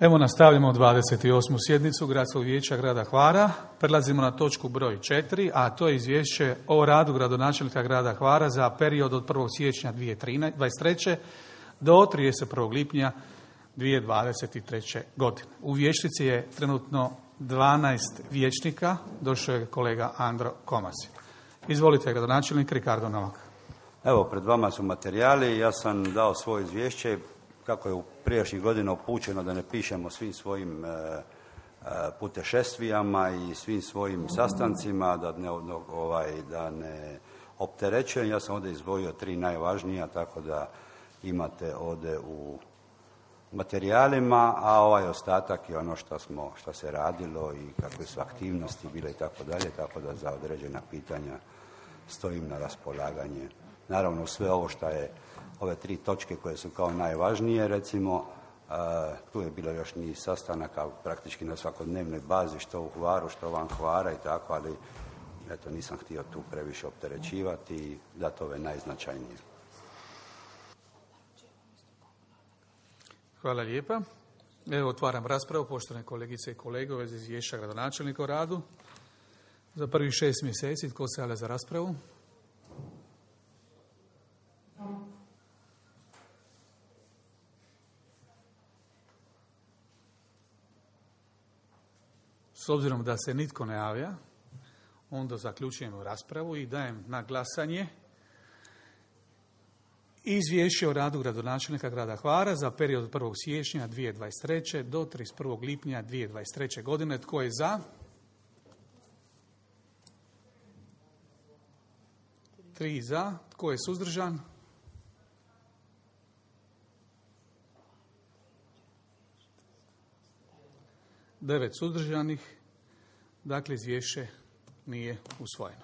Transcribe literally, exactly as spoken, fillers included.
Evo nastavljamo dvadeset osmu sjednicu Gradskog vijeća grada Hvara. Prelazimo na točku broj četiri, a to je izvješće o radu gradonačelnika grada Hvara za period od prvog siječnja dvije tisuće dvadeset treće do trideset prvog lipnja dvije tisuće dvadeset treće godine. U vijećnici je trenutno dvanaest vijećnika, došao je kolega Andro Komasi. Izvolite, gradonačelnik Ricardo Novak. Evo, pred vama su materijali. Ja sam dao svoje izvješće. Kako je u prijašnjih godina upućeno da ne pišemo svim svojim e, e, putešestvijama i svim svojim sastancima, da ne, ovaj, da ne opterećujem. Ja sam ovdje izdvojio tri najvažnija, tako da imate ovdje u materijalima, a ovaj ostatak je ono što smo, što se radilo i kakve su aktivnosti bile i tako dalje, tako da za određena pitanja stojim na raspolaganje. Naravno, sve ovo što je ove tri točke koje su kao najvažnije, recimo, uh, tu je bilo još niz sastanaka praktički na svakodnevnoj bazi, što u Hvaru, što van Hvara i tako, ali eto, nisam htio tu previše opterećivati i dati ove najznačajnije. Hvala lijepa. Evo, otvaram raspravu, poštovane kolegice i kolege, u vezi izvješća gradonačelnika o radu. Za prvih šest mjeseci, tko se javlja za raspravu? S obzirom da se nitko ne javlja, onda zaključujemo raspravu i dajem na glasanje izvješće o radu gradonačelnika grada Hvara za period od prvog siječnja dvije tisuće dvadeset treće do trideset prvog lipnja dvije tisuće dvadeset treće godine. Tko je za? Tri za. Tko je suzdržan? Devet suzdržanih. Dakle, izvješće nije usvojeno.